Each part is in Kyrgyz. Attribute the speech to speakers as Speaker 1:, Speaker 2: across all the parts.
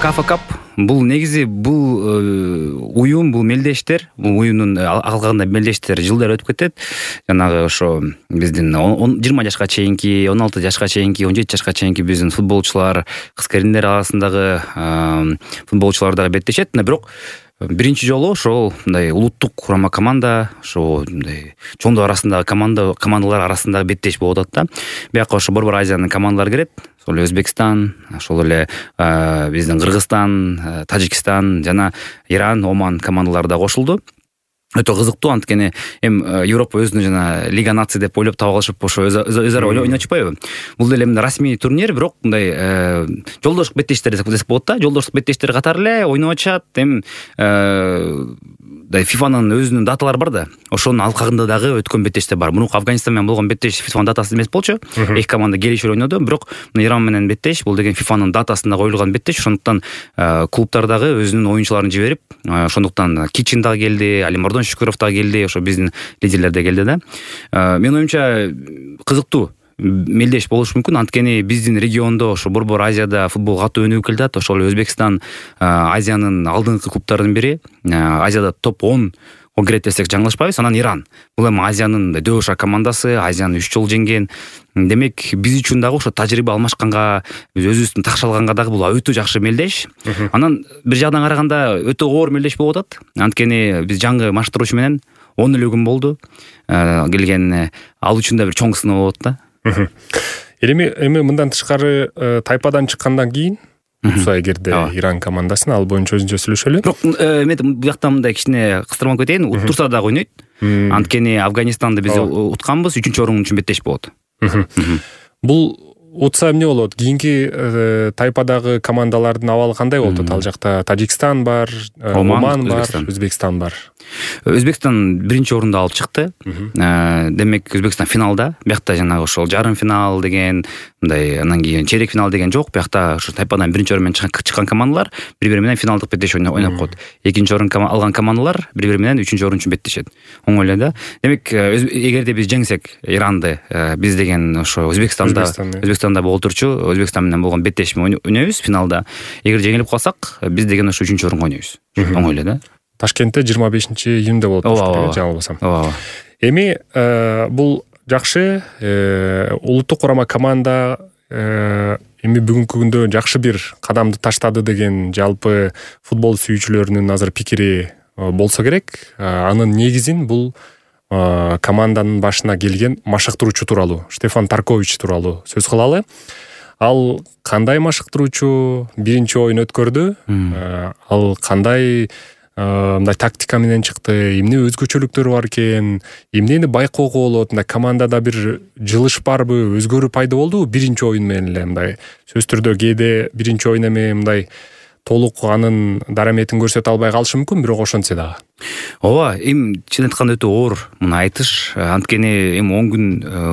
Speaker 1: Кафа Кап бул негизи уюм, бул мелдештер, бул уюмдун калганда мелдештер жылдар өтүп кетет. Жанагы ошо биздин 20 жашка чейинки, 16 жашка чейинки, 17 жашка чейинки биздин футболчулар, кыз-келиндер арасындагы футболчулар дагы беттешет. Бирок биринчи жолу ошол мындай улуттук курама команда, ошо мындай чоңдор арасындагы командалар арасындагы беттеш болуп атат да. Бияка ошо Борбор Азиянын командалары кирет. Ошол эле Өзбекстан, ошол эле биздин Кыргызстан, Тажикстан жана Иран, Оман командалары да кошулду. Өтө кызыктуу, анткени Европа өзүнүн жана Лига наций деп ойлоп таап алышып, ошо өз ара ойночпайбы? Бул деле расмий турнир, бирок мындай жолдоштук беттештер десек болот да. Жолдоштук беттештер катары эле ойноп атышат. ФИФАнын өзүнүн даталары бар да. Ошонун алкагында дагы өткөн беттештер бар. Мурунку Афганистан менен болгон беттеш ФИФАнын датасы эмес болчу. Эки команда келишип ойноду, бирок Иран менен беттеш бул деген ФИФАнын датасында коюлган беттеш. Ошондуктан клубтар дагы өзүнүн оюнчуларын жиберип, ошондуктан Кичин дагы келди, Алимардон Шүкүров дагы келди, ошо биздин лидерлер да келди да. Менин оюмча кызыктуу мелдеш болушу мүмкүн, анткени биздин региондо ошо Борбор Азияда футбол катуу өнүгүп келатат. Ошол Өзбекстан Азиянын алдыңкы клубтарынын бири. Азияда топ 10 кирет десек жаңылышпайбыз. Анан Иран. Бул эми Азиянын дөшак командасы, Азияны 3 жолу жеңген. Демек биз үчүн дагы ошо тажрыйба алмашканга, биз өзүбүздүн такшалганга дагы бул өтө жакшы мелдеш. Анан бир жагдан караганда өтө оор мелдеш болуп атат. Анткени биз жаңы маштыруучу менен 10 эле күн болду келген. Ал үчүн да бир чоң сыноо болот да.
Speaker 2: Эми мындан тышкары тайпадан чыккандан кийин эгерде Иран командасын ал боюнча өзүнчө сүйлөшөлү.
Speaker 1: Бирок мен бuyakта мындай кичине кыстырмалап кетейин. Уттурса дагы ойнойт. Анткени Афганистанды биз утканбыз, 3-орун үчүн беттеш болот.
Speaker 2: Бул утса эмне болот? Кийинки тайпадагы командалардын абалы кандай болот? Ал жакта Тажикстан бар, Оман бар, Өзбекстан бар.
Speaker 1: Өзбекстан биринчи орунду алып чыкты. Демек Өзбекстан финалда. Биякта жанагы ошол жарым финал деген, мындай анан кийин чейрек финал деген жок. Биякта ошо тайпадан биринчи орун менен чыккан командалар бири-бири менен финалдык беттеш ойноп коет. Экинчи орун алган командалар бири-бири менен 3-орун үчүн беттешет. Оңой эле да. Демек эгерде биз жеңсек Иранды, биз деген ошо Өзбекстанда боло турчу, Өзбекстан менен болгон беттешме ойнойбуз финалда. Эгер жеңилип калсак, биз деген ошо 3-орунга ойнойбуз. Оңой эле да.
Speaker 2: Ташкентте 25-июнда болот, жаңылбасам. Эми бул жакшы, улуттук курама команда эми бүгүнкү күндө жакшы бир кадамды таштады деген жалпы футбол сүйүүчүлөрүнүн азыр пикири болсо керек. Анын негизин бул команданын башына келген машыктыруучу тууралуу, Штефан Таркович тууралуу сөз кылалы. Ал кандай машыктыруучу, биринчи оюн өткөрдү, ал кандай мындай тактика менен чыкты, эмне өзгөчөлүктөрү бар экен, эмнени байкоого болот, мындай командада бир жылыш барбы, өзгөрүү пайда болдубу биринчи оюн менен эле? Мындай сөз түрдө кээде биринчи оюн эми мындай толук анын дараметин көрсөтө албай калышы мүмкүн, бирок ошентсе дагы.
Speaker 1: Ооба, чын айтканда өтө оор муну айтыш. Анткени 10 күн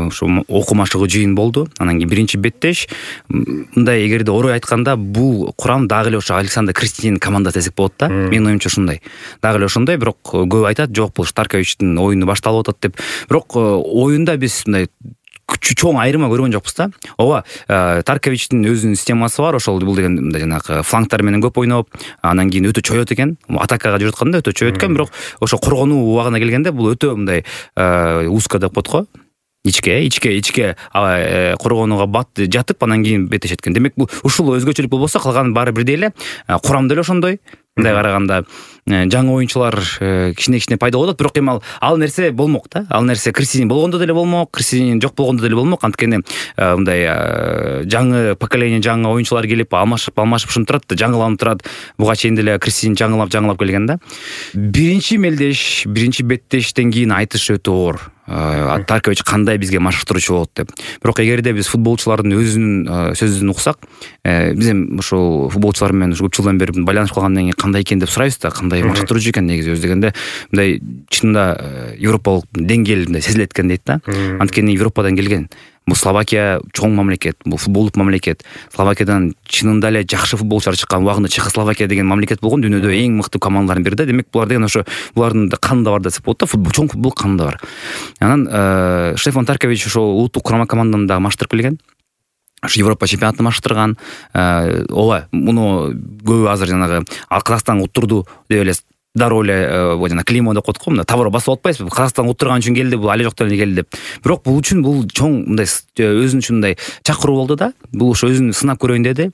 Speaker 1: ошо окуу машыгуу жыйын болду. Анан кийин биринчи беттеш. Мындай эгерде орой айтканда, бул курам дагы эле ошо Александр Кристинин командасы десек болот да. Менин оюмча ушундай. Дагы эле ошондой, бирок көп айтат, жок бул Тарковичтин оюну башталып атат деп. Бирок оюнда биз мындай чоң айырма көргөн жокпуз да. Ооба, Тарковичтин өзүнүн системасы бар. Ошол бул деген мындай жанагы фланктар менен көп ойноп, анан кийин өтө чоёт экен. Атакага жүрүп атканда өтө чоёт экен, бирок ошо коргонуу убагына келгенде бул өтө мындай узко деп коет го. Ичке коргонууга бат жатып, анан кийин беттешет экен. Демек бул ушул өзгөчөлүк болбосо, калганы баары бирдей эле. Курам деле ошондой. Мындай караганда жаңы оюнчулар кичине пайда болот, бирок эми ал нерсе болмок да. Ал нерсе Кристин болгондо деле болмок, Кристин жок болгондо деле болмок. Анткени мындай жаңы поколение, жаңы оюнчулар келип алмашып ушинтип турат, жаңыланып турат. Буга чейин деле Кристин жаңылап келген да. Биринчи мелдеш, биринчи беттештен кийин айтыш өтө оор. Таркович кандай бизге машыктыруучу болот деп. Бирок эгерде биз футболчулардын өзүнүн сөзүн уксак, биз эми ошол футболчулар менен көп жылдан бери байланышып калгандан кийин кандай экен деп сурайбыз да, кандай машыктыруучу экен негизи өз дегенде. Мындай чынында европалык деңгээл мындай сезилет экен дейт да. Анткени Европадан келген. Бул Словакия чоң мамлекет, бул футболдук мамлекет. Словакиядан чынында эле жакшы футболчулар чыккан убагында Чехословакия деген мамлекет болгон, дүйнөдө эң мыкты командалардын бири да. Демек булар деген ошо булардын канында бар десек болот да, футбол, чоң футбол канында бар. Анан Штефан Таркович ошо улуттук курама команданы да маштырып келген. ушу Европа чемпионатын маштырган. Ооба, муну көбү азыр жанагы Казакстан уттурду деп эле дароо эле жана клеймо деп коет го, мына товар басып атпайсызбы, Казакстан уттурган үчүн келди, бул али жоктон эле келди деп. Бирок бул үчүн бул чоң мындай өзүнүн ушундай чакыруу болду да. Бул ошо өзүн сынап көрөйүн деди.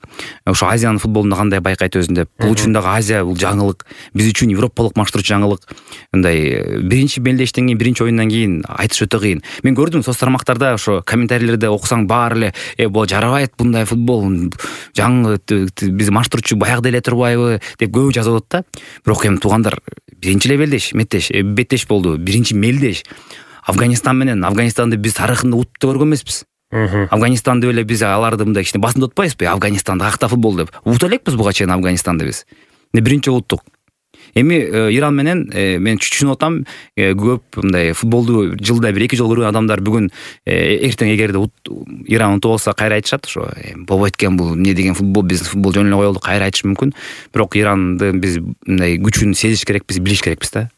Speaker 1: Ошо Азиянын футболунда кандай байкайт өзүн деп. Бул үчүн дагы Азия бул жаңылык, биз үчүн европалык маштыруучу жаңылык. Мындай биринчи белдештен кийин, биринчи оюндан кийин айтыш өтө кыйын. Мен көрдүм соц тармактарда ошо комментарийлерде окусаң баары эле бул жарабайт мындай футбол, жаңы биз маштыруучу баягыда эле турбайбы деп көбү жазып атат да. Бирок эми туугандар, биринчи эле беттеш болду. Биринчи мелдеш. Афганистан менен, Афганистанды биз тарыхында утуп көргөн эмеспиз. Афганистанды эле биз аларды мындай кичине басынып атпайбызбы? Афганистанда акта футбол деп. Утуп элекпиз буга чейин Афганистанды биз. Биринчи уттук. Эми Иран менен мен түшүнүп атам, көп мындай футболду жылда 1-2 жолу көргөн адамдар бүгүн эртең эгерде Иран утуп алса кайра айтышат, ошо болбойт экен, бул эмне деген футбол, биздин футбол жөн эле коелду, кайра айтыш мүмкүн. Бирок Иранды биз мындай күчүн сезиш керекпиз, билиш керекпиз да.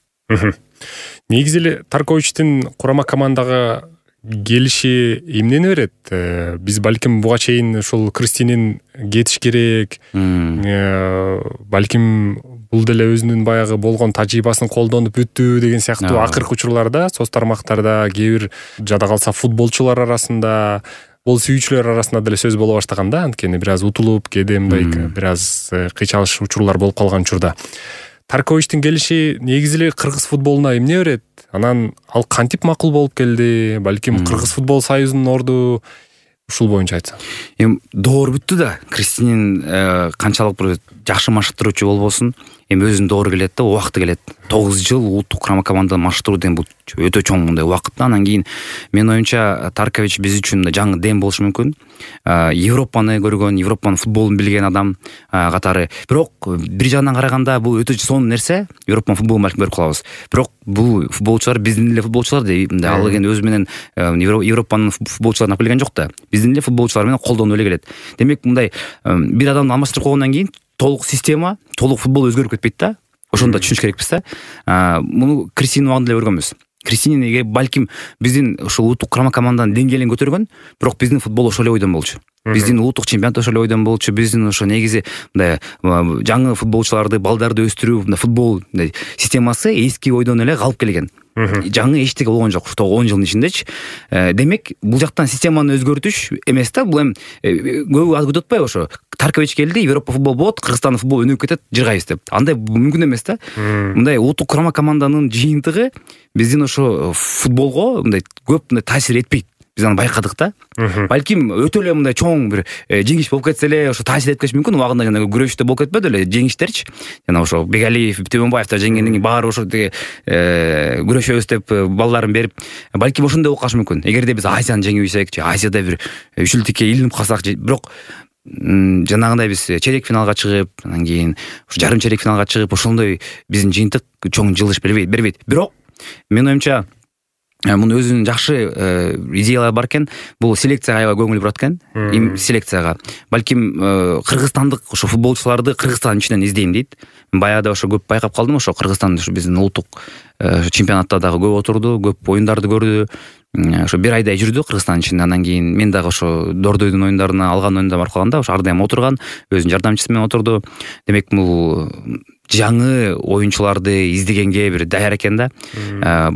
Speaker 2: Негизи эле Тарковичтин курама командага келиши эмнени берет? Биз балким буга чейин ушул Кристинин кетиш керек, балким бул деле өзүнүн баягы болгон тажрыйбасын колдонуп бүттү деген сыяктуу акыркы учурларда соц тармактарда, кээ бир жада калса футболчулар арасында, бол сүйүүчүлөр арасында деле сөз боло баштаган да. Анткени бир аз утулуп, кээде мындай бир аз кыйчалыш учурлар болуп калган учурда Тарковичтин келиши негизи эле кыргыз футболуна эмне берет? Анан ал кантип макул болуп келди? Балким Кыргыз футбол союзунун орду ушул боюнча айтсаң.
Speaker 1: Эми доор бүттү да. Кристинин канчалык бир жакшы маштыруучу болбосун, эми өзүнүн доору келет да, убакыты келет. 9 жыл улуттук курама команданы маштыруу деген бул өтө чоң мындай убакыт. Анан кийин менин оюмча Таркович биз үчүн жаңы дем болушу мүмкүн. Европаны көргөн, Европанын футболун билген адам катары. Бирок бир жагынан караганда бул өтө сонун нерсе. Европанын футболун балким көрүп калабыз. Бирок бул футболчулар биздин эле футболчулар деп ал экен өзү менен Европанын футболчуларын алып келген жок да. Биздин эле футболчулар менен колдонуп эле келет. Демек мындай бир адамды алмаштырып койгондон кийин толук система, толук футбол өзгөрүп кетпейт да. Ошондо түшүнүш керекпиз да. Муну Кристинин убагында эле көргөнбүз. Кристинин балким биздин ушул улуттук курама команданын деңгээлин көтөргөн, бирок биздин футбол ошол эле ойдон болчу. Биздин улуттук чемпионат ошол эле ойдон болчу. Биздин ошо негизи мындай жаңы футболчуларды, балдарды өстүрүү, мындай футбол системасы эски ойдон эле калып келген. Жаңы эчтеке болгон жок 10 жылдын ичиндечи. Демек, бул жактан системаны өзгөртүш эмес да, бул эми көбү аз күтүп атпайбы ошо. Таркович келди, Европа футбол болот, Кыргызстандын футболу өнүгүп кетет, жыргайбыз деп. Андай мүмкүн эмес да. Мындай улуттук курама команданын жыйынтыгы биздин ошо футболго мындай көп таасир этпейт. Биз аны байкадык да. Балким өтө эле мындай чоң бир жеңиш болуп кетсе эле ошо таасир этпеш мүмкүн. Убагында жана күрөштө болуп кетпеди эле жеңиштерчи. Жана ошо Бегалиев, Төмөнбаевдер жеңгенден кийин баары ошо тиги күрөшөбүз деп балдарын берип, балким ошондой болуп калышы мүмкүн. Эгерде биз Азияны жеңип ийсек, Азияда бир үчүлтүккө илинип калсак, бирок жанагындай биз чейрек финалга чыгып, анан кийин ушу жарым чейрек финалга чыгып, ошондой биздин жыйынтык чоң жылыш бербейт. Бирок менин оюмча мунун өзүнүн жакшы идеялары бар экен. Бул селекцияга аябай көңүл бурат экен. Селекцияга. Балким кыргызстандык ошо футболчуларды Кыргызстандын ичинен издейм дейт. Баягыда ошо көп байкап калдым, ошо Кыргызстан ушу биздин улуттук чемпионатта дагы көп отурду, көп оюндарды көрдү. Ошо бир айдай жүрдү Кыргызстандын ичинде. Андан кийин мен дагы ошо Дордойдун оюндарына алган оюнда барып калганда ошо ар дайым отурган, өзүнүн жардамчысы менен отурду. Демек, бул жаңы оюнчуларды издегенге бир даяр экен да.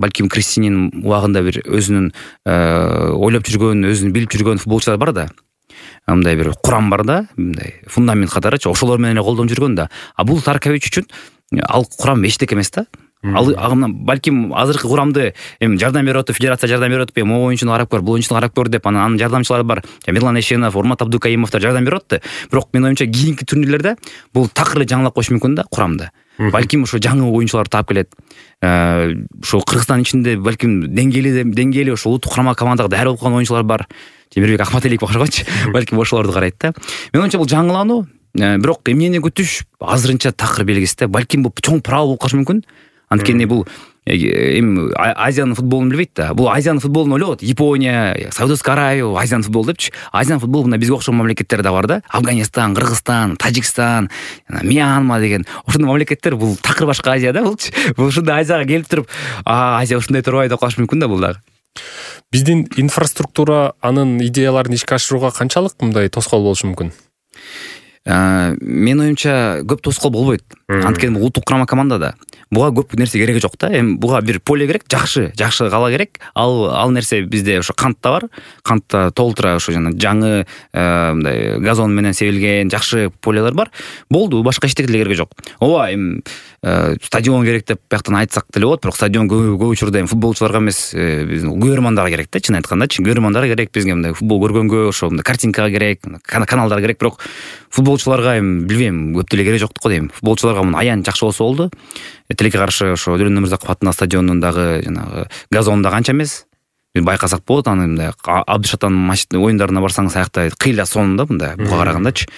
Speaker 1: Балким Кристинин убагында бир өзүнүн ойлоп жүргөн, өзүн билип жүргөн футболчулар бар да. Мындай бир курам бар да, мындай фундамент катарычы, ошолор менен эле колдонуп жүргөн да. А бул Таркович үчүн ал курам эчтеке эмес да. Ал балким азыркы курамды эми жардам берип атып, федерация жардам берип атып, могу оюнчуну карап көр, бул оюнчуну карап көр деп анын жардамчылары бар. Мирлан Эшенов, Урмат Абдукаимовдор жардам берип атты. Бирок менин оюмча кийинки турнирлерде бул такыр эле жаңылап коюш мүмкүн да курамды. Балким ошо жаңы оюнчуларды таап келет. Ошо Кыргызстандын ичинде балким деңгээли ошо улуттук курама командага даяр болуп калган оюнчулар бар. Темирбек Акматалиев окшогончу. Балким ошолорду карайт да. Менин оюмча бул жаңылануу, бирок эмнени күтүш азырынча такыр белгисиз да. Балким бул чоң провал болуп калышы мүмкүн. Анткени бул эми Азиянын футболун билбейт да. Бул Азиянын футболун ойлойт. Япония, Саудовская Аравия, Азиянын футболу депчи. Азиянын футболу мына бизге окшогон мамлекеттер да бар да. Афганистан, Кыргызстан, Тажикстан, Мьянма деген ошондой мамлекеттер. Бул такыр башка Азия да булчу. Бул ушундай Азияга келип туруп, Азия ушундай турбайбы деп калышы мүмкүн да бул дагы.
Speaker 2: Биздин инфраструктура анын идеяларын ишке ашырууга канчалык мындай тоскоол болушу мүмкүн?
Speaker 1: Менин оюмча көп тоскоол болбойт. Анткени улуттук курама командада буга көп нерсе кереги жок да. Эми буга бир поле керек, жакшы кала керек. Ал нерсе бизде ошо кантта бар. Кантта толтура ошо жана жаңы мындай газон менен себилген жакшы полелер бар. Болду, башка эчтеке деле кереги жок. Ооба, эми стадион керек деп бияктан айтсак деле болот, бирок стадион көп учурда эми футболчуларга эмес, биздин көрөрмандарга керек да, чын айткандачы. Көрөрмандарга керек, бизге мындай футбол көргөнгө ошо мындай картинкага керек, каналдар керек, бирок футболчуларга эми билбейм, көп деле кереги жок го дейм. Футболчуларга муну аян жакшы болсо болду. Тилекке каршы ошо Дөрөн Өмүрзаков атындагы стадионундагы жанагы газон да канча эмес. Байкасак болот, аны мындай Абдышатан оюндарына барсаңыз аякта кыйла сонун да, мындай буга карагандачы.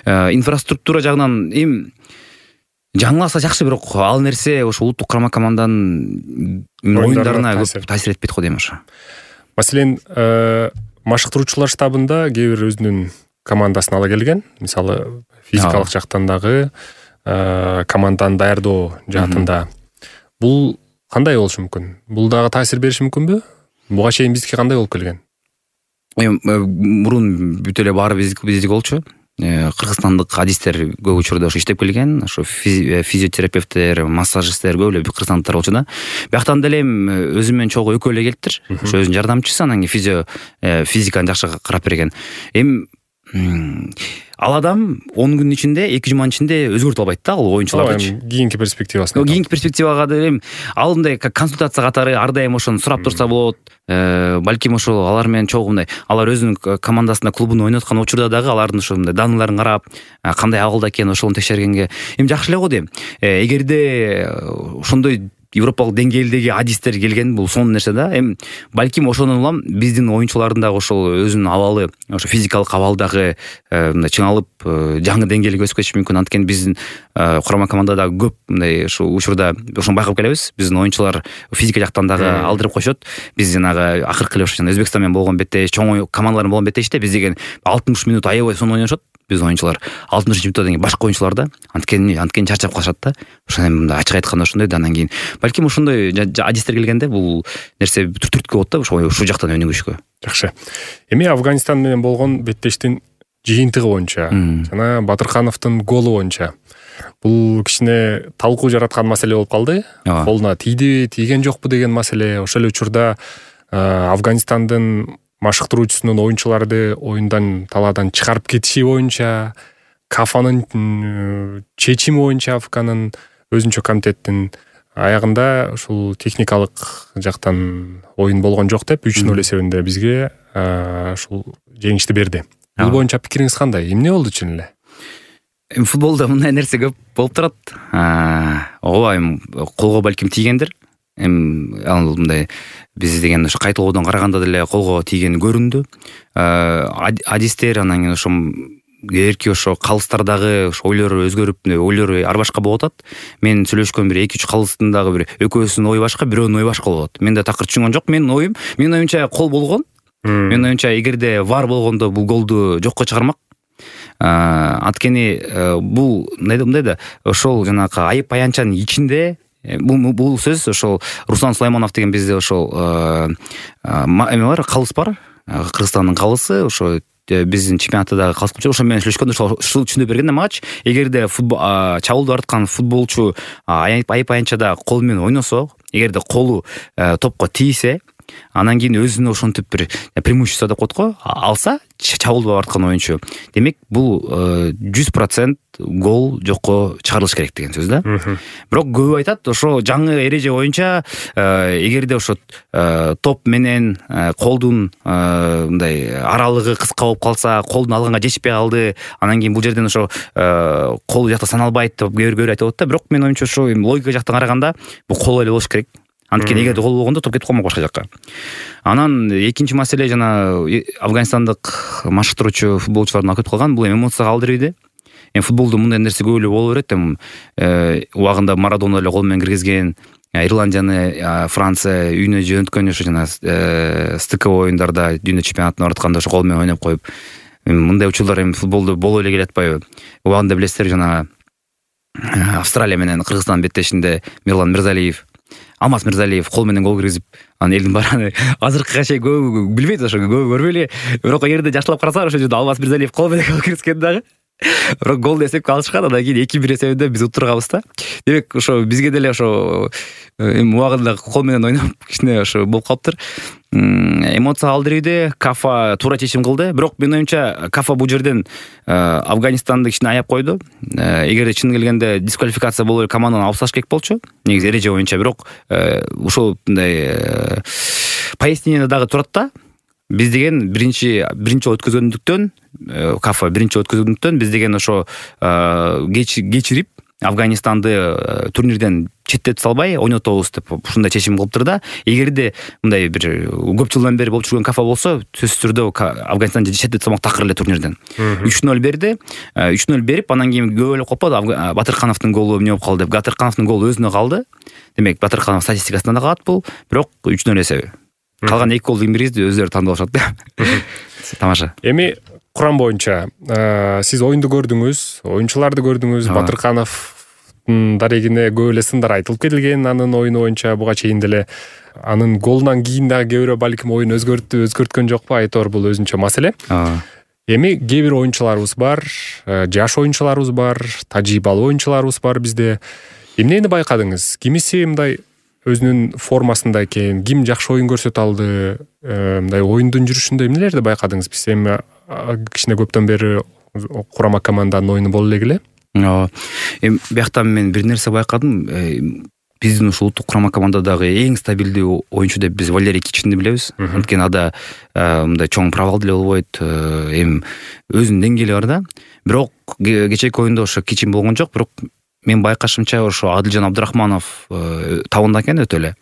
Speaker 1: Инфраструктура жагынан эми жаңыласа жакшы, бирок ал нерсе ошо улуттук курама команданын оюндарына көп таасир этпейт го дейм ошо.
Speaker 2: Маселен, машыктыруучулар штабында кээ бир өзүнүн командасын ала келген. Мисалы, физикалык жактан дагы команданы даярдоо жаатында. Бул кандай болушу мүмкүн? Бул дагы таасир бериши мүмкүнбү? Буга чейин бизге кандай болуп келген?
Speaker 1: Мурун бүт эле баары биздики болчу. Кыргызстандык адистер көп учурда ошо иштеп келген, ошо физиотерапевттер, массажисттер көп эле кыргызстандыктар болчу да. Бияктан деле өзүм менен чогуу экөө эле келиптир. Ошо өзүнүн жардамчысы, анан кийин физиканы жакшы карап берген. Эми ал адам 10 күнүн ичинде, 2 жуманын ичинде өзгөртүп албайт да, ал оюнчулардычы.
Speaker 2: Кийинки перспективасын.
Speaker 1: Кийинки перспективага деле ал мындай консультация катары ар дайым ошону сурап турса болот. Балким ошо алар менен чогуу мындай, алар өзүнүн командасында, клубунда ойноп аткан учурда дагы алардын ошо мындай даныларын карап, кандай абалда экенин ошону текшергенге эми жакшы эле го дейм. Эгерде ошондой европалык деңгээлдеги адистер келген, бул сонун нерсе да. Эми балким ошондон улам биздин оюнчулардын дагы ошол өзүнүн абалы, ошо физикалык абалдагы мындай чыңалып, жаңы деңгээлге өсүп кетиши мүмкүн. Анткени биздин курама командада көп мындай ошо учурда ошону байкап келебиз. Биздин оюнчулар физика жактан дагы алдырып койшот. Биз жанагы акыркы эле ошо Өзбекстан менен болгон бетте, чоң командалар болгон беттеште биз деген 60 минут аябай сонун ойношот. Биз оюнчулар 60-минутта деген башка оюнчулар да, анткени чарчап калышат да. Ошондой мындай ачык айтканда ошондой да. Анан кийин балким ошондой адистер келгенде бул нерсе түрткү болот да, ушул жактан өнүгүшкө.
Speaker 2: Жакшы. Эми Афганистан менен болгон беттештин жыйынтыгы боюнча жана Батыркановдун голу боюнча бул кичине талкуу жараткан маселе болуп калды. Колуна тийди, тийген жокпу деген маселе. Ошол эле учурда Афганистандын машыктыруучусунун оюнчуларды оюндан талаадан чыгарып кетиши боюнча, КАФанын чечими боюнча, АФКнын өзүнчө комитеттин аягында ушул техникалык жактан оюн болгон жок деп 3-0 эсебинде бизге ушул жеңишти берди. Бул боюнча пикириңиз кандай? Эмне болду чын эле?
Speaker 1: Футболдо мындай нерсе көп болуп турат. Ооба, колго балким тийгендир. Ал мындай биз деген ошо кайталоодон караганда деле колго тийгени көрүндү. Адистер анан кийин ошо эрки ошо калыстардагы ошо ойлору өзгөрүп, ойлору ар башка болуп атат. Мен сүйлөшкөн бир 2-3 калыстын дагы бир экөөсүнүн ою башка, бирөөнүн ою башка болот. Мен да такыр түшүнгөн жок. Менин оюмча кол болгон. Менин оюмча эгерде вар болгондо бул голду жокко чыгармак. Анткени бул мындай да, ошол жанагы айып аянчанын ичинде бул сөз ошол Руслан Сулайманов деген бизде ошол эме бар, калыс бар. Кыргызстандын калысы ошо биздин чемпионаттагы калыс болчу. Ошо менен сүйлөшкөндө ушул түшүндүрүп берген да магачы. Эгерде чабуулду аткан футболчу айып аянчада кол менен ойносо, эгерде колу топко тийсе, анан кийин өзүнө ошентип бир преимущество деп коет го, алса, чабуулду аткан оюнчу, демек бул 100% гол жокко чыгарылыш керек деген сөз да. Бирок көп айтат, ошо жаңы эреже боюнча эгерде ошо топ менен колдун мындай аралыгы кыска болуп калса, колдун алганга жетишпей калды, анан кийин бул жерден ошо кол жакта саналбайт деп кээ-бир айтып атат да. Бирок менин оюмча ошо логика жактан караганда бул кол эле болуш керек. Анткени эгерде гол болгондо топ кетип калмак башка жакка. Анан экинчи маселе жана афганистандык машыктыруучу футболчулардын алып кетип калган, бул эмоцияга алдырбайды. Футболдо мындай нерсе көп эле боло берет. Убагында Марадона эле кол менен киргизген, Ирландияны Франция үйүнө жөнөткөн ошо жана стыковой оюндарда дүйнө чемпионатына баратканда ошо кол менен ойноп коюп, мындай учурлар футболдо боло эле келе атпайбы? Убагында билесиздер, жана Австралия менен Кыргызстан беттешинде Мирлан Мирзалиев Алмаз Мирзалиев кол менен гол киргизип, анан элдин баары азыркыга чейин көп билбейт, ошо көп көрбөй эле. Бирок эгерде жакшылап карасаңар, ошол жерде Алмаз Мирзалиев кол менен гол киргизген дагы. Бирок голду эсепке алышкан, андан кийин 2-1 эсебинде биз утурганбыз да. Демек ошо бизге деле ошо убагында кол менен ойноп кичине ошо болуп калыптыр. Эмоция алдырды, Кафа туура чечим кылды. Бирок менин оюмча Кафа бул жерден Афганистанды кичине аяп койду. Эгерде чын келгенде дисквалификация болуп эле команданы алып салыш керек болчу. Негизи эреже боюнча, бирок ушул мындай пояснение дагы турат да. Биз деген биринчи өткөзгөндүктөн, Кафа биринчи өткөзгөндүктөн биз деген ошо кечирип Афганистанды турнирден четтетип салбай ойнотобуз деп ушундай чечим кылыптыр да. Эгерде мындай бир көп жылдан бери болуп жүргөн Кафа болсо, сөзсүз түрдө Афганистанды четтетип салмак такыр эле турнирден. 3-0 берди. 3-0 берип, анан кийин көбөлөп калпады. Батыркановдун голу эмне болуп калды деп. Батыркановдун голу өзүнө калды. Демек Батырканов статистикасында да калат бул, бирок 3-0 эсеби. Калган 2 голду ким киргизди, өздөрү тандап алышат да. Тамаша.
Speaker 2: Эми курам боюнча сиз оюнду көрдүңүз, оюнчуларды көрдүңүз, Батыркановдун дарегине көп эле сындар айтылып кетилген анын оюну боюнча буга чейин деле. Анын голунан кийин дагы кээ бирөө балким оюн өзгөрткөн жокпу, айтор бул өзүнчө маселе. Эми кээ бир оюнчуларыбыз бар, жаш оюнчуларыбыз бар, тажрыйбалуу оюнчуларыбыз бар бизде. Эмнени байкадыңыз? Кимиси мындай өзүнүн формасында экен, ким жакшы оюн көрсөтө алды, мындай оюндун жүрүшүндө эмнелерди байкадыңыз? Биз эми кичине көптөн бери курама команданын оюну боло эле.
Speaker 1: Эми бияктан мен бир нерсе байкадым. Биздин ушул улуттук курама командадагы эң стабилдүү оюнчу деп биз Валерий Кичинди билебиз. Анткени ада мындай чоң провал деле болбойт. Эми өзүнүн деңгээли бар да. Бирок кечээки оюнда ошо Кичин болгон жок, бирок мен байкашымча ошо Адилжан Абдырахманов табында экен өтө эле.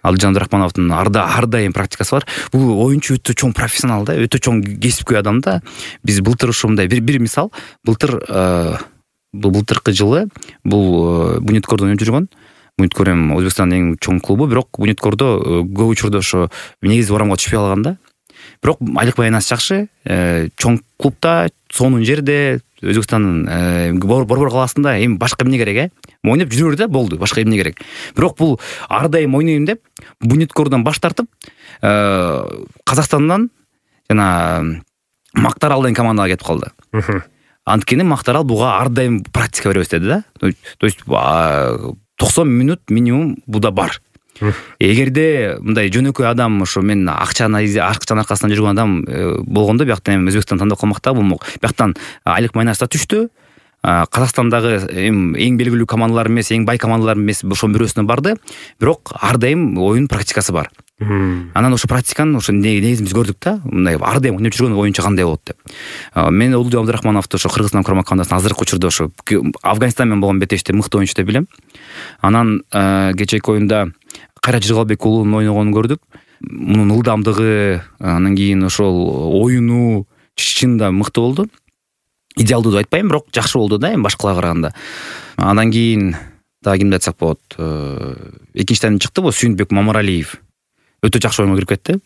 Speaker 1: Адилжан Абдырахмановдун ар дайым практикасы бар. Бул оюнчу өтө чоң профессионал да, өтө чоң кесипкөй адам да. Биз былтыр ушундай бир мисал, былтыркы жылы бул Буниткордо ойноп жүргөн. Буниткор эми Өзбекстандын эң чоң клубу, бирок Буниткордо көп учурда ошо негизи орамга түшпөй калган да. Бирок айлык байланыш жакшы, чоң клубда, сонун жерде, Өзбекстандын Борбор калаасында эми башка эмне керек, ойноп жүрөр да, болду, башка эмне керек. Бирок бул ар дайым ойнойм деп Буниткордон баш тартып, Казакстандан жана Мактарал деген командага кетип калды. Анткени Мактарал буга ар дайым практика беребиз деди да. То есть 90 минут минимум буда бар. Эгерде мындай жөнөкөй адам, ошо мен акчанын аркасынан жүргөн адам болгондо, бияктан эми Өзбекстан тандап калмак да болмок. Бияктан айлык майнаш да түштү. Казакстандагы эң белгилүү командалар эмес, эң бай командалар эмес, ошонун бирөөсүнө барды. Бирок ар дайым оюн практикасы бар. Анан ошо практиканы ошо негизин биз көрдүк да. Мындай ар дайым ойноп жүргөн оюнчу кандай болот деп. Мен Улдуу Абдырахмановду ошо Кыргызстан курама командасынын азыркы учурда ошо Афганистан менен болгон бетеште мыкты оюнчу деп билем. Анан кечээки оюнда Кайрат Жыргалбек уулунун ойногонун көрдүк. Мунун ылдамдыгы, анан кийин ошол оюну чынында мыкты болду. Идеалдуу деп айтпайм, бирок жакшы болду да, эми башкаларга караганда. Андан кийин дагы кимди айтсак болот? Экинчиден чыкты бул Сүйүнбек Мамаралиев. Өтө жакшы оюнга кирип кетти.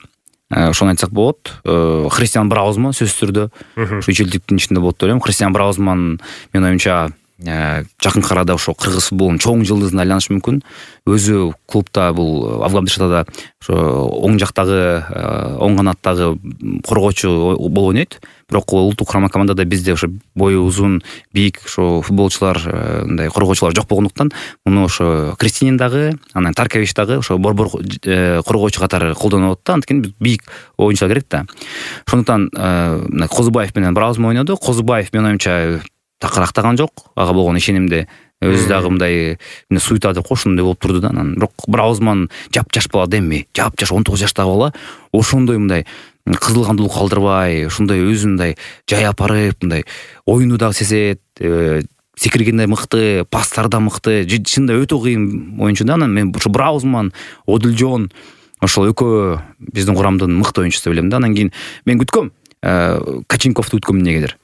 Speaker 1: Ошону айтсак болот. Христиан Браузман сөзсүз түрдө ушу 3 жылдыктын ичинде болот деп ойлойм. Христиан Браузман менин оюмча жакын арада ошо кыргыз футболунун чоң жылдызына айланышы мүмкүн. Өзү клубда бул Афганистанда ошо оң жактагы, оң канаттагы коргоочу болуп ойнойт. Бирок улуттук курама командада бизде ошо бою узун, бийик ошо футболчулар, мындай коргоочулар жок болгондуктан, муну ошо Кристинин дагы, анан Таркович дагы ошо борбор коргоочу катары колдонуп атат да. Анткени бийик оюнчулар керек да. Ошондуктан Козубаев менен Браузман ойноду. Козубаев менин оюмча такыр актаган жок, ага болгон ишенимде. Өзү дагы мындай суйта деп ошондой болуп турду да. Анан бирок Браузман жап-жаш бала эми, жап-жаш 19 жаштагы бала ошондой мындай кызыл кандуулук калтырбай, ушундай өзүн мындай жай апарып, мындай оюну дагы сезет, секиргенде мыкты, пастары да мыкты, чынында өтө кыйын оюнчу да. Анан мен ушу Браузман, Одилжон ошол экөө биздин курамдын мыкты оюнчусу деп билем да. Анан кийин мен күткөм Каченковду күткөм эмнегедир.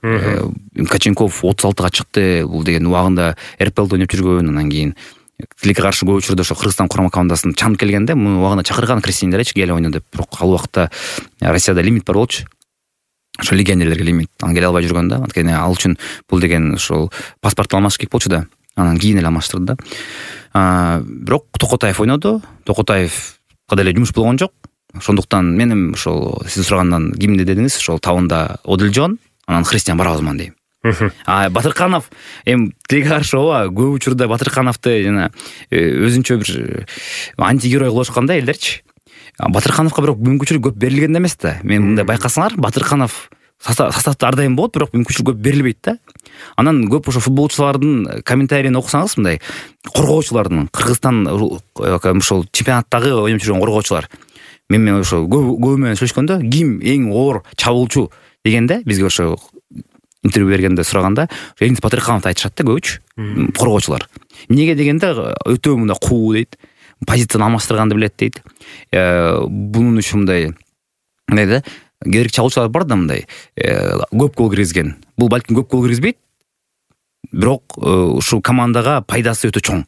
Speaker 1: Каченков 36-га чыкты, бул деген убагында РПЛда ойноп жүргөн, анан кийин тилекке каршы көп учурда ошо Кыргызстан курама командасына чанып келгенде, муну убагында чакырган Кристиндерчи келе ойно деп. Бирок ал убакта Россияда лимит бар болчу. Ошо легионерлерге лимит. Анан келе албай жүргөн да. Анткени ал үчүн бул деген ошол паспорт алмаш керек болчу да. анан кийин эле алмаштырды да. Бирок Токотаев ойноду. Токотаевга деле жумуш болгон жок. Ошондуктан менин ошол сиз сурагандан кимди дедиңиз, ошол табында Одилжон, анан Христиан барабызман дейм. Батырканов эми тилекке каршы ооба, көп учурда Батыркановду жана өзүнчө бир антигерой кылышкан да элдерчи. Батыркановго бирок мүмкүнчүлүк көп берилген эмес да. Мен мындай байкасаңар, Батырканов составда ар дайым болот, бирок мүмкүнчүлүк көп берилбейт да. Анан көп ошо футболчулардын комментарийин окусаңыз, мындай коргоочулардын, Кыргызстан ошол чемпионаттагы ойноп жүргөн коргоочулар мен ошо көбү менен сүйлөшкөндө, ким эң оор чабуулчу дегенде, бизге ошо интервью бергенде сураганда, Эниз Батыркановду айтышат да көбүчү коргоочулар. Эмнеге дегенде, өтө мындай куу дейт, позицияны алмаштырганды билет дейт. Бунун үчүн мындай да, керек чабуулчулар бар да, мындай көп гол киргизген. Бул балким көп гол киргизбейт, бирок ушул командага пайдасы өтө чоң.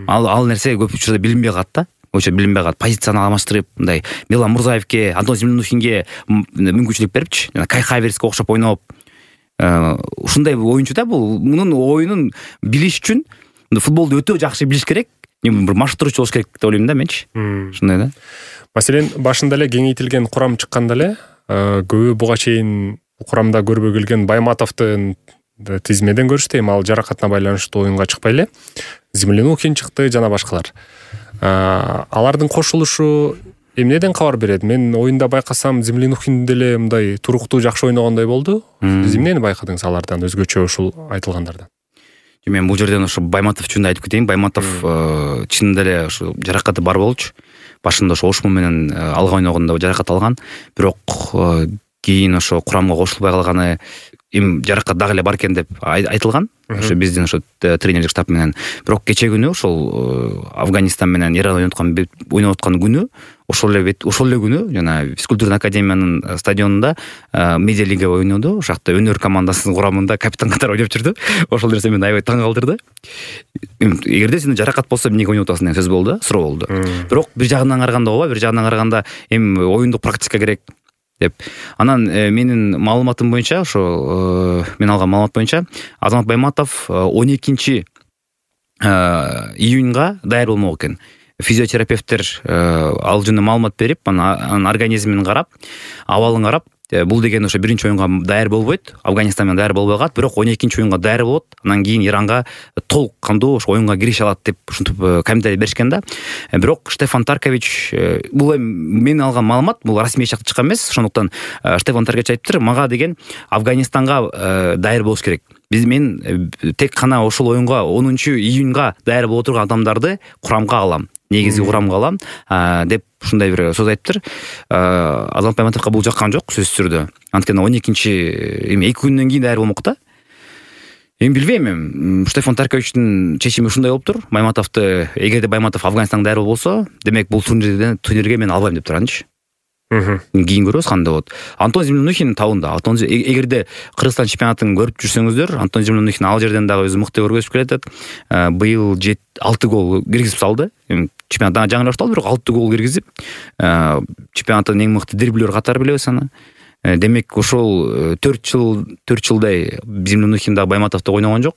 Speaker 1: Ал нерсе көп учурда билинбей калат да. Билинбей калат. Позицияны алмаштырып, мындай Милан Мурзаевке, Антон Землянухинге мүмкүнчүлүк берипчи, жана Кай Хаверске окшоп ойноп, ушундай оюнчу да бул. Мунун оюнун билиш үчүн футболду өтө жакшы билиш керек. Бир машыктыруучу болуш керек деп ойлойм да менчи. Ушундай да.
Speaker 2: Маселен, башында эле кеңейтилген курам чыкканда эле көбү буга чейин курамда көрбөй келген Байматовдун тизмеден көрүштү. Эми ал жаракатына байланыштуу оюнга чыкпай эле Землянухин чыкты, жана башкалар. Алардын кошулушу эмнеден кабар берет? Мен оюнда байкасам, Землянухин деле мындай туруктуу жакшы ойногондой болду. Сиз эмнени байкадыңыз алардан, өзгөчө ушул айтылгандардан?
Speaker 1: Мен бул жерден ошо Байматов жөнүндө айтып кетейин. Байматов чынында эле ошо жаракаты бар болчу. Башында ошо Ошму менен алга ойногондо жаракат алган, бирок кийин ошо курамга кошулбай калганы, эми жаракат дагы эле бар экен деп айтылган. Ошо биздин ошо тренерлик штаб менен. Бирок кече күнү ошол Афганистан менен Иран ойноп аткан күнү, ошол эле күнү жана физкультурный академиянын стадионунда медиа лига ойноду. Ошол жакта өнөр командасынын курамында капитан катары ойноп жүрдү. Ошол нерсе мени аябай таң калтырды. Эгерде сенде жаракат болсо эмнеге ойноп атасың деген сөз болду, суроо болду. Бирок бир жагынан караганда ооба, бир жагынан караганда эми оюндук практика керек деп. Анан менин маалыматым боюнча, ошо мен алган маалымат боюнча, Азамат Байматов 12 июньга даяр болмок экен. Физиотерапевттер ал жөнүндө маалымат берип, анын организмин карап, абалын карап, бул деген ошо биринчи оюнга даяр болбойт, Афганистан менен даяр болбой калат, бирок 12 оюнга даяр болот. Анан кийин Иранга толук кандуу ошо оюнга кирише алат деп ушинтип комментарий беришкен да. Бирок Штефан Таркович, бул мен алган маалымат, бул расмий жактан чыккан эмес. Ошондуктан Штефан Таркович айтыптыр, мага деген Афганистанга даяр болуш керек. Мен тек гана ошол оюнга 10 июньга даяр боло турган адамдарды курамга алам, негизги курамга алам деп ушундай бир сөз айтыптыр. Азамат Байматовго бул жаккан жок, сөзсүз түрдө. Анткени 2 күндөн кийин даяр болмок да. Эми билбейм, эми Штефан Тарковичтин чечими ушундай болуптур. Байматовду, эгерде Байматов Афганистанга даяр болсо, демек бул турнирге мен албайм деп туранчы. Кийин көрөбүз кандай болот. Антон Землянухин табында. Эгерде Кыргызстан чемпионатын көрүп жүрсөңүздөр, Антон Землянухин ал жерден дагы өзү мыкты көргөзүп келатат. Быйыл 6 гол киргизип салды. Чемпионатта жаңылышталды, бирок 6 гол киргизип, чемпионаттын эң мыкты дриблер катары билебиз аны. Демек ошол 4 жылдай Землянухин да Байматовдо ойногон жок.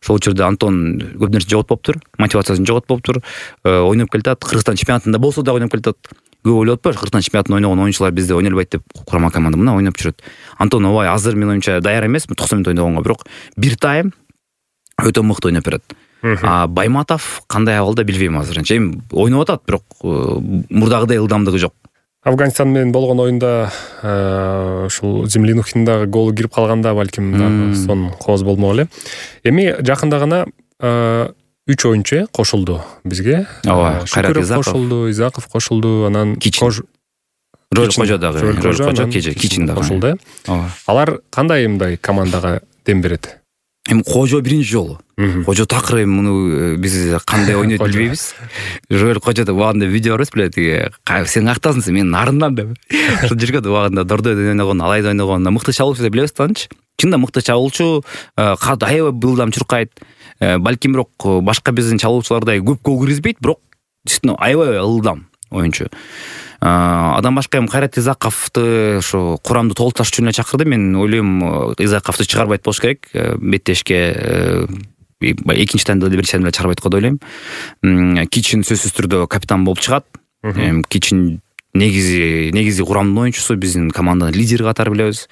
Speaker 1: Ошол учурда Антон көп нерсе жоготпоптур, мотивациясын жоготпоптур, ойноп келатат. Кыргызстан чемпионатында болсо да ойноп келатат. Көп ойлоп атпайбы, Кыргызстан чемпионатында ойногон оюнчулар бизде ойной албайт деп курама команда мына ойноп жүрөт. Антон ооба азыр мен оюмча даяр эмес, 90 мүнөт ойногонго, бирок бир тайм өтө мыкты ойноп берет. Байматов кандай абалда билбейм азырынча. Эми ойноп атат, бирок мурдагыдай ылдамдыгы жок.
Speaker 2: Афганистан менен болгон оюнда ушул Землянухин дагы гол кирип калганда балким дагы сон кооз болмок эле. Эми жакында гана 3 оюнчу кошулду бизге.
Speaker 1: Ооба, Кайрат
Speaker 2: Изаков кошулду, анан
Speaker 1: Рөл Кожо дагы, Кичин дагы
Speaker 2: кошулду. Алар кандай мындай командага дем берет?
Speaker 1: Эми Кожо биринчи жолу. Кожо такыр муну биз кандай ойнойт билбейбиз. Рөл Кожодо убагында видео көрөбүз биле, сен актасың, мен нарындан деп. Ошол жүргөн убагында Дордой ойногон, Алайда ойногон, мыкты чабуулчу деп билебиз танчы. Чында мыкты чабуулчу, аябай былдам чуркайт. Балким бирок башка биздин чабуулчулардай көп гол киргизбейт, бирок действительно аябай ылдам оюнчу. Адам башка эми Кайрат Изаковду ошо курамды толукташ үчүн эле чакырды. Мен ойлойм, Изаковду чыгарбайт болуш керек беттешке. экинчи таймда биринчи таймда чыгарбайт го деп ойлойм. Кичин сөзсүз түрдө капитан болуп чыгат. Кичин негизи курамдын оюнчусу, биздин команданын лидери катары билебиз.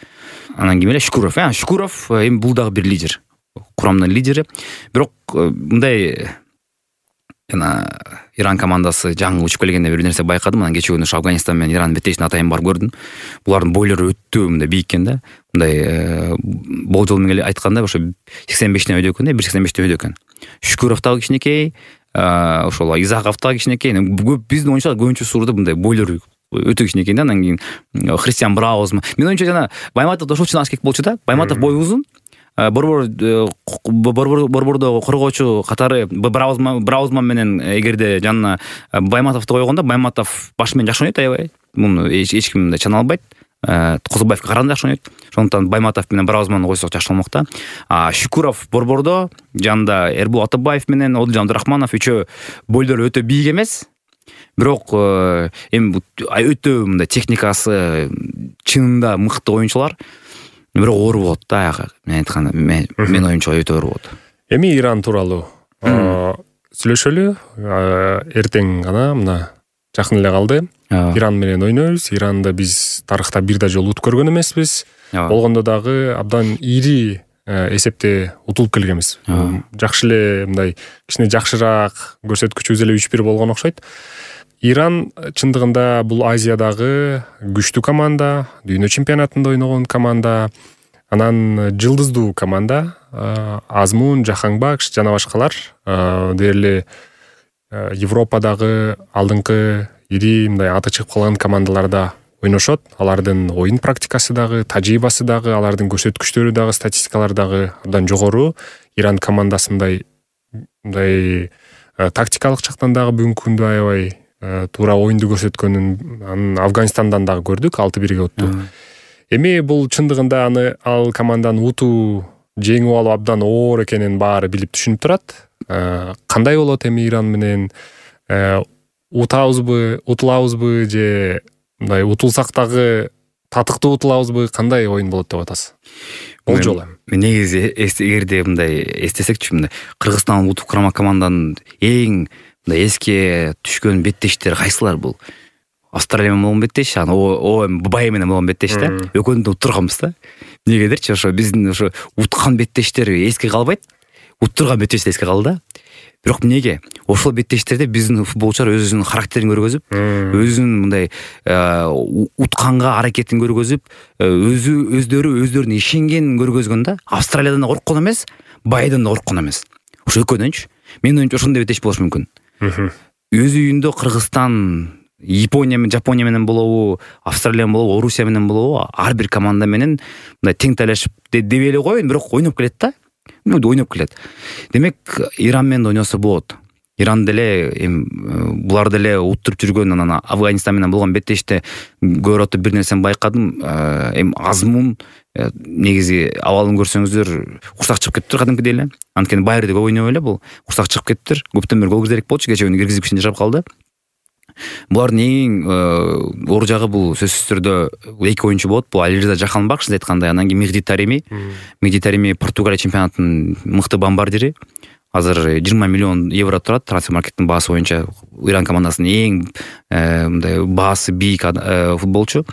Speaker 1: Анан ким эле Шукуров. Шукуров эми бул дагы бир лидер, курамдын лидери. Бирок мындай жана Иран командасы жаңы учуп келгенде бир нерсе байкадым. Анан кечээ күнү Афганистан менен Ирандын беттешине атайын барып көрдүм. Булардын бойлору өтө мындай бийик экен да. Мындай болжол менен айтканда ошо 85 өйдө экен, 1.85 өйдө экен. Шукуров дагы кичинекей, ошол Изаков дагы кичинекей. Көп биздин оюнчулар көбүнчө сурда мындай бойлору өтө кичинекей да. Анан кийин Христиан Браузм. Мен оюнча жана Байматов ошол чынак болчу да. Байматов бою узун. Борбордо коргоочу катары Браузман менен эгерде жанына Байматовду койгондо Байматов башы менен жакшы ойнойт аябай. Муну эч ким чана албайт. Козубаевке караганда жакшы ойнойт. Ошондуктан Байматов менен Браузманды койсок жакшы болмок да. Шукуров борбордо жанында Эрбул Атабаев менен Одилжан Абдырахманов үчөө бойлору өтө бийик эмес. Бирок эми өтө мындай техникасы чынында мыкты оюнчулар. Бирок оор болот да. Мен айтканда мен оюнчу өтө оор болот.
Speaker 2: Эми Иран тууралуу сүйлөшөлү. Эртең гана мына жакын эле калды. Иран менен ойнойбуз. Иранды биз тарыхта бир да жолу утуп көргөн эмеспиз. Болгондо дагы абдан ири эсепте утулуп келгенбиз. Жакшы эле мындай кичине жакшыраак көрсөткүчүбүз эле 3-1 болгон окшойт. Иран чындыгында бул Азиядагы күчтүү команда, дүйнө чемпионатында ойногон команда, анан жылдыздуу команда. Азмун, Жаханбакш жана башкалар дээрле Европадагы алдыңкы ири мындай аты чыгып калган командаларда ойношот. Алардын оюн практикасы дагы, тажрыйбасы дагы, алардын көрсөткүчтөрү дагы, статистикалары дагы абдан жогору. Иран командасы мындай тактикалык жактан дагы бүгүнкү күндө аябай туура оюнду көрсөткөнүн анын Афганистандан дагы көрдүк, 6-1 өттү. Эми бул чындыгында ал команданы утуу, жеңип алуу абдан оор экенин баары билип түшүнүп турат. Кандай болот эми Иран менен утулабызбы же мындай утулсак дагы татыктуу утулабызбы, кандай оюн болот деп атасыз? Болжол эми.
Speaker 1: Негизи эгерде мындай эстесекчи, мындай Кыргызстан утуп курама команданын эң мындай эске түшкөн беттештери кайсылар бул? Австралия менен болгон беттеш, анан Бай менен болгон беттеш да. Экөөнү да уттурганбыз да. Негедирчи ошо биздин ошо уткан беттештер эске калбайт. Уттурган беттеш эске калды да. Бирок эмнеге? Ошол беттештерде биздин футболчулар өзүнүн характерин көргөзүп, өзүнүн мындай утканга аракетин көргөзүп, өздөрүнө ишенгенин көргөзгөн да. Австралиядан да корккон эмес, Байдан да корккон эмес. Ошо экөөнүнчү. Менин оюмча ошондой беттеш болуш мүмкүн. Өз үйүндө Кыргызстан, Япония менен болобу, Австралия менен болобу, Орусия менен болобу, ар бир команда менен мындай тең талашып деп эле коеюн, бирок ойноп келет да. Ойноп келет. Демек, Иран менен ойносо болот. Иран деле булар деле уттуруп жүргөн, анан Афганистан менен болгон беттеште көрөтө бир нерсени байкадым. Азмун негизи абалын көрсөңүздөр курсак чыгып кетиптир кадимкидей эле. Анткени Байырды көп ойнобой эле бул курсак чыгып кетиптир. Көптөн бери гол киргизерек болчу, кечээ күнү киргизип кичине жашап калды. Булардын эң оор жагы бул сөзсүз түрдө эки оюнчу болот. Бул Алириза Жаханбакш айткандай, анан кийин Мехди Тареми Португалия чемпионатынын мыкты бомбардири. Азыр 20 миллион евро турат трансфер-маркеттин баасы боюнча. Иран командасынын эң мындай баасы бийик футболчу.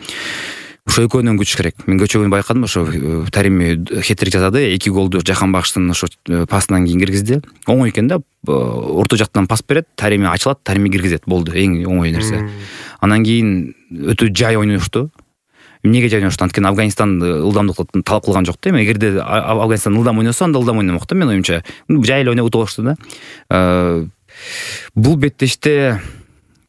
Speaker 1: Ошо экөөнүн күч керек. Мен кечээ күнү байкадым, ошо Тареми хет-трик жасады, 2 голду Жаханбакштын ошо пасынан кийин киргизди. Оңой экен да. Орто жактан пас берет, Тареми ачылат, Тареми киргизет. Болду, эң оңой нерсе. Анан кийин өтө жай ойношту. Эмнеге жай ойношту? Анткени Афганистан ылдамдыкты талап кылган жок да. Эгерде Афганистан ылдам ойносо, анда ылдам ойномок да, менин оюмча. Жай эле ойноп утуп алышту да. Бул беттеште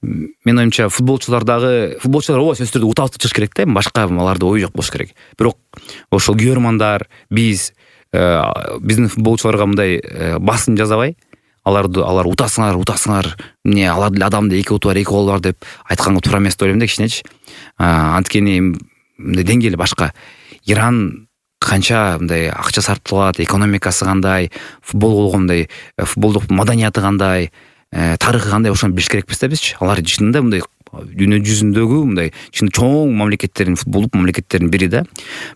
Speaker 1: мен оюмча футболчулар ооба сөзсүз түрдө утабызды чыгыш керек да, башка аларда ой жок болуш керек. Бирок ошол күйөрмандар, биздин футболчуларга мындай басым жасабай, алар утасыңар, эмне алар деле адам да 2 уту бар, 2 гол бар деп айтканга туура эмес деп ойлойм да кичинечи. Анткени деңгээли башка. Иран канча мындай акча сарпталат, экономикасы кандай, футбол болгондой, футболдук маданияты кандай, тарыхы кандай, ошону билиш керекпиз да бизчи. Алар чынында мындай дүйнө жүзүндөгү мындай чын чоң мамлекеттердин, футболдук мамлекеттердин бири да.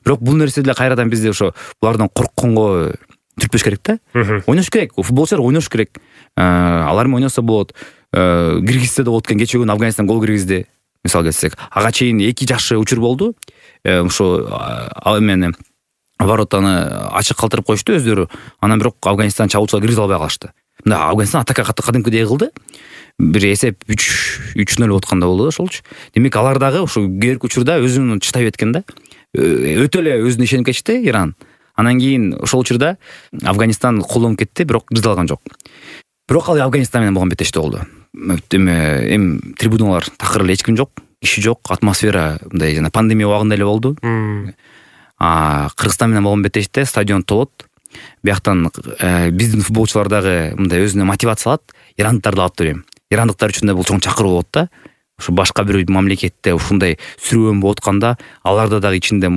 Speaker 1: Бирок бул нерсе деле кайрадан бизде ошо булардан коркконго түртпөш керек да. Ойнош керек. Футболчулар ойнош керек. Алар менен ойносо болот. Киргизде да болот экен, кечээ күнү Афганистан гол киргизди. Мисалы келсек, ага чейин 2 жакшы учур болду. Ошо эмени воротаны ачык калтырып коюшту өздөрү. Анан бирок Афганистан чабуучулар киргизе албай калышты. Мында Афганистан атака кадимкидей кылды. Бир эсеп 3-0 болуп атканда болду ошолчу. Демек алар дагы ошо кээрки учурда өзүн чытай кеткен да. Өтө эле өзүнө ишенип кетти Иран. Анан кийин ошол учурда Афганистан колдонуп кетти, бирок киргизе алган жок. Бирок ал Афганистан менен болгон беттештик болду. Эми трибуналар такыр эле эч ким жок, киши жок, атмосфера мындай жана пандемия убагында эле болду. Кыргызстан менен болгон беттештикте стадион толот. Бияктан биздин футболчулар дагы мындай өзүнө мотивация алат, ирандыктарды алып берем. Ирандыктар үчүн да бул чоң чакыруу болот да. Ошо башка бир мамлекетте ушундай сүрөөн болуп атканда, аларда дагы ичинде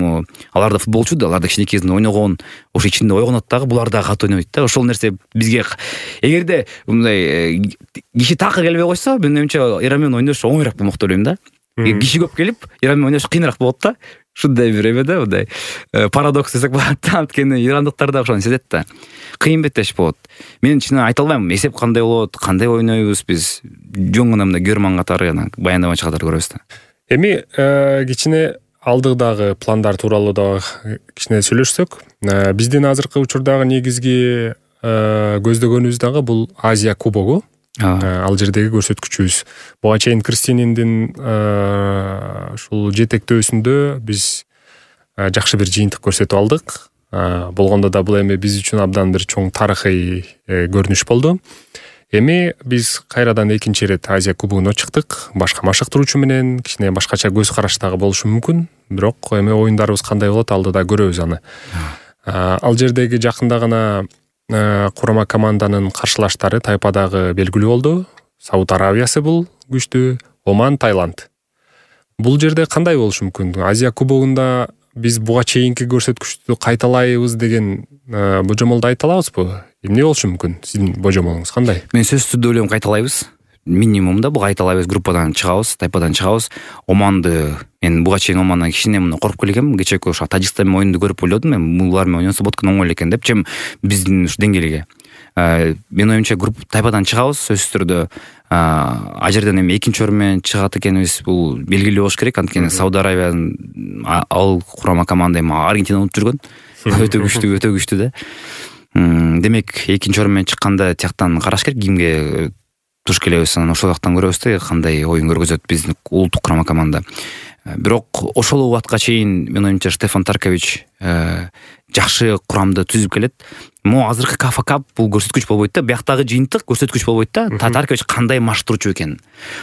Speaker 1: аларда футболчу да, аларда кичинекей кезинде ойногон, ошо ичинде ойгонот дагы, булар дагы катуу ойнойт да. Ошол нерсе бизге эгерде мындай киши такыр келбей койсо, менин оюмча Иран менен ойнош оңоюраак болмок деп ойлойм да. Киши көп келип, Иран менен ойнош кыйыныраак болот да. Ушундай бир эме да, мындай парадокс десек болот да. Анткени ирандыктар да ошону сезет да. Кыйын беттеш болот. Мен чынын айта албайм, эсеп кандай болот, кандай ойнойбуз биз. Жөн гана мындай көрман катары, баяндамачы катары көрөбүз да.
Speaker 2: Эми кичине алдыдагы пландар тууралуу да кичине сүйлөшсөк, биздин азыркы учурдагы негизги көздөгөнүбүз дагы бул Азия кубогу. Ал жердеги көрсөткүчүбүз. Буга чейин Кристининдин ушул жетектөөсүндө биз жакшы бир жыйынтык көрсөтүп алдык. Болгондо да бул эми биз үчүн абдан бир чоң тарыхый көрүнүш болду. Эми биз кайрадан экинчи ирет Азия кубогуна чыктык. Башка машыктыруучу менен кичине башкача көз караш дагы болушу мүмкүн. Бирок эми оюндарыбыз кандай болот, алдыда көрөбүз аны. Ал жердеги жакында гана курама команданын каршылаштары тайпадагы белгилүү болду. Сауд Арабиясы бул күчтүү, Оман, Таиланд. Бул жерде кандай болушу мүмкүн? Азия кубогунда биз буга чейинки көрсөткүчтү кайталайбыз деген божомолду айта алабызбы? Эмне болушу мүмкүн? Сиздин божомолуңуз кандай?
Speaker 1: Мен сөзсүз түрдө ойлойм, кайталайбыз. Минимумда буга кайталайбыз, группадан чыгабыз, тайпадан чыгабыз. Оманды мен буга чейин Омандан кичине коркуп келгем. Кечээкү ошо Тажикстан менен ойунду көрүп ойлодум, мен булар менен ойносо болот экен, оңой эле экен деп, чем биздин ушу деңгээлге. Мен оюмча тайпадан чыгабыз, сөзсүз түрдө. А жерден эми экинчи орун менен чыгат экенибиз бул белгилүү болуш керек. Анткени Сауд Арабиянын ал курама команда эми Аргентинаны утуп жүргөн. Өтө күчтүү да. Демек экинчи орун менен чыкканда тияктан караш керек, кимге туш келебиз, анан ошол жактан көрөбүз да, кандай оюн көргөзөт биздин улуттук курама команда. Бирок ошол убакытка чейин мен оюмча Штефан Таркович жакшы курамды түзүп келет. Азыркы Кафа Кап бул көрсөткүч болбойт да, бияктагы жыйынтык көрсөткүч болбойт да. Таркович кандай машыктыруучу экенин.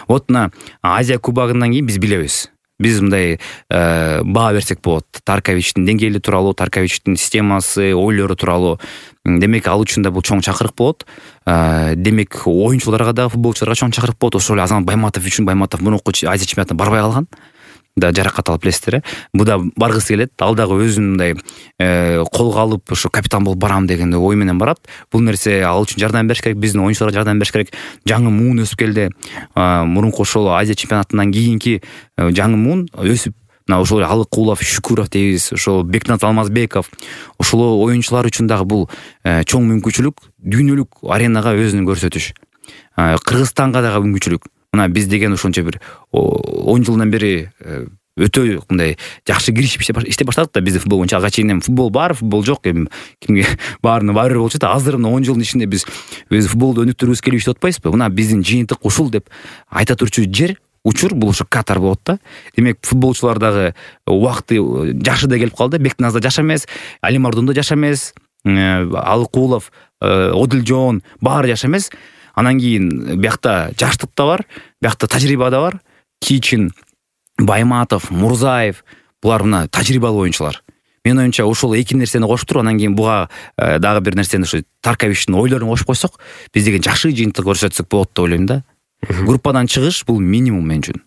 Speaker 1: Вот мына Азия кубогунан кийин биз билебиз. Биз мындай баа берсек болот. Тарковичтин деңгээли тууралуу, Тарковичтин системасы, ойлору тууралуу. Демек ал үчүн да бул чоң чакырык болот. Демек оюнчуларга да, футболчуларга чоң чакырык болот. Ошол эле Азамат Байматов үчүн, Байматов мурунку Азия чемпионатына барбай калган. Да жаракат алып билесиздер. Бу да баргысы келет. Ал дагы өзүн мындай колго алып, ошо капитан болуп барам деген ой менен барат. Бул нерсе ал үчүн жардам бериш керек, биздин оюнчуларга жардам бериш керек. Жаңы муун өсүп келди. Мурунку ошол Азия чемпионатынан кийинки жаңы муун өсүп, мына ошол Алыкулов, Шүкүров дейбиз, ошол Бекназ Алмазбеков, ошол оюнчулар үчүн дагы бул чоң мүмкүнчүлүк, дүйнөлүк аренага өзүн көрсөтүш. Кыргызстанга дагы мүмкүнчүлүк. Мына биз деген ошончо бир 10 жылдан бери өтө мындай жакшы киришип иштеп баштадык да, биздин футбол боюнча. Ага чейин футбол бар, футбол жок, эми кимге баарына баары болчу да. Азыр 10 жылдын ичинде биз футболду өнүктүргүбүз келип иштеп атпайбызбы? Мына биздин жыйынтык ушул деп айта турчу жер, учур бул ошо Катар болот да. Демек футболчулар дагы убакыты жашыда келип калды. Бекназ да жаш эмес, Али Мардон да жаш эмес, Алыкулов, Одилжон баары жаш эмес. Анан кийин биякта жаштык да бар, биякта тажрыйба да бар. Кичин, Байматов, Мурзаев, булар мына тажрыйбалуу оюнчулар. Мен оюмча ошол эки нерсени коштуруп, анан кийин буга дагы бир нерсени ошо Тарковичтин ойлорун кошуп койсок, биз деген жакшы жыйынтык көрсөтсөк болот деп ойлойм да. Группадан чыгыш бул минимум мен үчүн.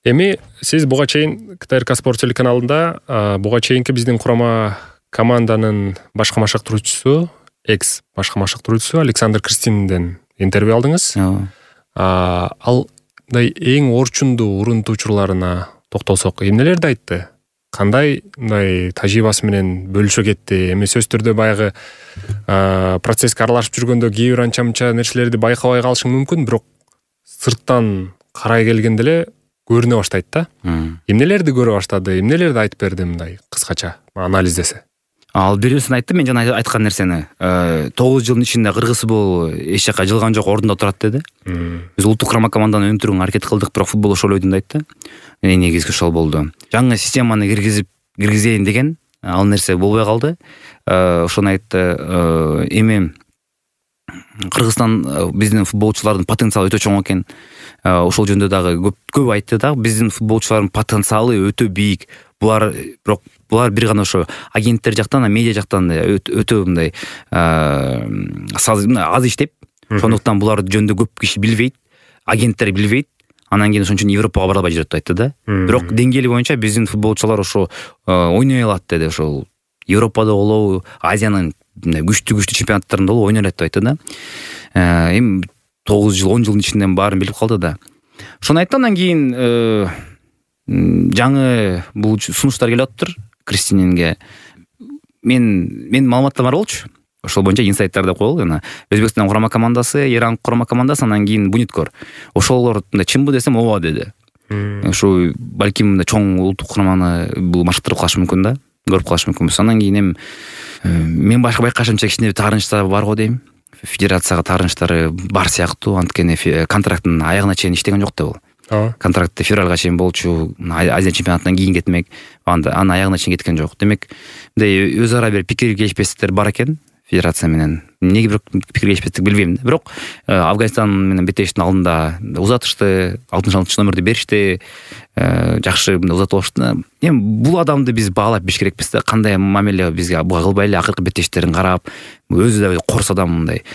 Speaker 2: Эми сиз буга чейин КТРК Спорт телеканалында буга чейинки биздин курама команданын башкы машыктыруучусу, башкы машыктыруучусу Александр Кристинден интервью алдыңыз. Ал эң орчундуу урунтуучуларына токтолсок эмнелерди айтты? кандай мындай тажрыйбасы менен бөлүшө кетти? Эми сөзсүз түрдө баягы процесске аралашып жүргөндө кээ бир анча мынча нерселерди байкабай калышың мүмкүн, бирок сырттан карай келгенде эле көрүнө баштайт да. Эмнелерди көрө баштады, эмнелерди айтып берди мындай кыскача анализдесе?
Speaker 1: Ал бирөөсүн айтты, мен жана айткан нерсени. 9 жылдын ичинде кыргыз футболу эч жака жылган жок, ордунда турат деди. Биз улуттук курама команданы өнүктүрүүгө аракет кылдык, бирок футбол ошол ойдун да айтты. Эң негизги ошол болду. Жаңы системаны киргизейин деген ал нерсе болбой калды. Ошону айтты. Эми Кыргызстан биздин футболчулардын потенциалы өтө чоң экен. Ошол жөнүндө дагы көп айтты да. Биздин футболчулардын потенциалы өтө бийик. Булар бир гана ошо агенттер жактан, медиа жактан өтө мындай аз иштеп, ошондуктан булар жөнүндө көп киши билбейт, агенттер билбейт. Анан кийин ошон үчүн Европага бара албай жүрөт деп айтты да. Бирок деңгээли боюнча биздин футболчулар ошо ойной алат деди. Ошол Европада болобу, Азиянын күчтүү чемпионаттарында болобу ойной алат деп айтты да. Эми 9 жыл, 10 жылдын ичинде баарын билип калды да. Ошону айтты. Андан кийин жаңы бул сунуштар келип атыптыр Кристининге. Мен маалыматтар бар болчу. Ошол боюнча инсайттарды коелу. Жана Өзбекстан курама командасы, Иран курама командасы, анан кийин Буниткор. Ошолор чынбы десем ооба деди. Ошо балким чоң улуттук кураманы бул машыктырып калышы мүмкүн да, көрүп калышы мүмкүнбүз. Андан кийин мен байкашымча кичине таарынычтар бар го дейм. Федерацияга таарынычтары бар сыяктуу, анткени контракттын аягына чейин иштеген жок да бул. Контракты февралга чейин болчу, Азия чемпионатынан кийин кетмек, анын аягына чейин кеткен жок. Демек, мындай өз ара бир пикир келишпестиктер бар экен федерация менен. Эмнеге бирок пикир келишпестик билбейм. Бирок Афганистан менен беттештин алдында узатышты, 66-номерди беришти, жакшы узатып алышты. Эми бул адамды биз баалап биш керекпиз да. Кандай мамиле бизге буга кылбай эле акыркы беттештерин карап, өзү да корс адам мындай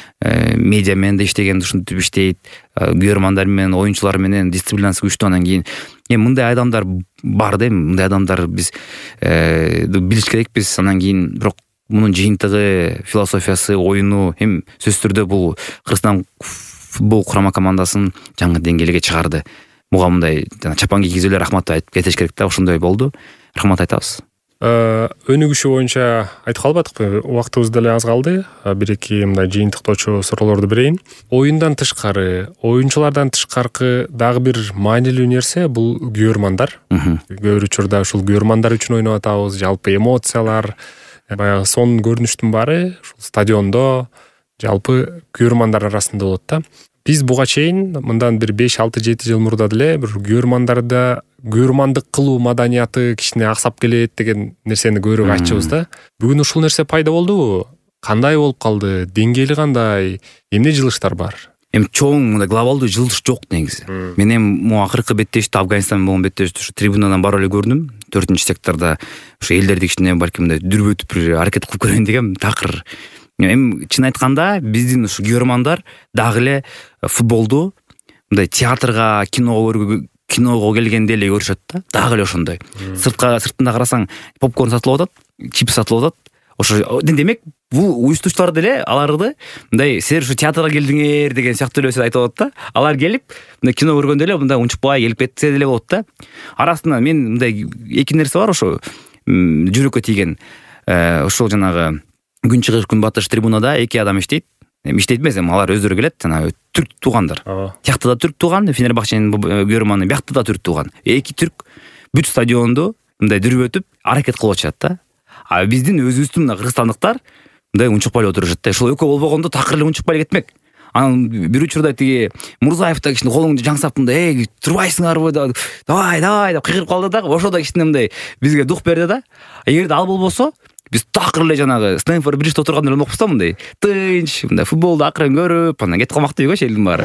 Speaker 1: медиа менен да иштеген, ушинтип иштейт, күйөрмандар менен, оюнчулар менен дисциплинасы күчтүү. Анан кийин мындай адамдар бар да, мындай адамдар биз билиш керекпиз. Анан кийин бирок мунун жыйынтыгы, философиясы, оюну эми сөзсүз түрдө бул Кыргызстан футбол курама командасын жаңы деңгээлге чыгарды. Буга мындай чапан кийгизүүлөр рахмат айтып кетиш керек да. Ошондой болду. Рахмат айтабыз.
Speaker 2: Өнүгүшү боюнча айтып калбадыкпы? Убактыбыз деле аз калды. Бир-эки мындай жыйынтыктоочу суроолорду берейин. Оюндан тышкары, оюнчулардан тышкаркы дагы бир маанилүү нерсе бул күйөрмандар. Көп бир учурда ушул күйөрмандар үчүн ойноп атабыз. Жалпы эмоциялар, баягы сонун көрүнүштүн баары ушул стадиондо жалпы күйөрмандар арасында болот да. Биз буга чейин мындан бир 5-6-7 жыл мурда деле бир күйөрмандык кылуу маданияты кичине аксап келет деген нерсени көрүп айтчыбыз да. Бүгүн ушул нерсе пайда болдубу? Кандай болуп калды? Деңгээли кандай? Эмне жылыштар бар?
Speaker 1: Эми чоң мындай глобалдуу жылыш жок негизи. Мен эми акыркы беттешти, Афганистан менен болгон беттешти ушу трибунадан барып эле көрдүм. 4-секторда ушу элдерди кичине балким дүрбөтүп бир аракет кылып көрөйүн дегем. Такыр эми чын айтканда биздин ушу күйөрмандар дагы эле футболду мындай театрга, киного келгенде эле көрүшөт да. Дагы эле ошондой. Сыртында карасаң попкорн сатылып атат, чипс сатылып атат. Ошо демек бул уюштуучулар деле аларды мындай силер ушу театрга келдиңер деген сыяктуу эле айтып атат да. Алар келип мындай кино көргөндө эле мындай унчукпай келип кетсе деле болот да. Арасында мен мындай эки нерсе бар ошо жүрөккө тийген. Ошол жанагы күн чыгыш күн батыш трибунада эки адам иштейт. Иштейт эмес, алар өздөрү келет, жанагы түрк туугандар. Тиякта да түрк тууган, Фенербахченин күйөрманы биякта да түрк тууган. Эки түрк бүт стадионду мындай дүрбөтүп аракет кылып атышат да. А биздин өзүбүздүн кыргызстандыктар мындай унчукпай эле отурушат да. Ошол экөө болбогондо такыр эле унчукпай эле кетмек. Анан бир учурда тиги Мурзаев да кичине колуңду жаңсап мындай турбайсыңарбы, давай деп кыйгырып калды да. Ошо да кичине мындай бизге дух берди да. Эгерде ал болбосо, биз такыр эле жанагы Стэнфорд Бриджде отурган эле болмокпуз да, мындай тынч, мындай футболду акырын көрүп, анан кетип калмак дейбиз элдин баары.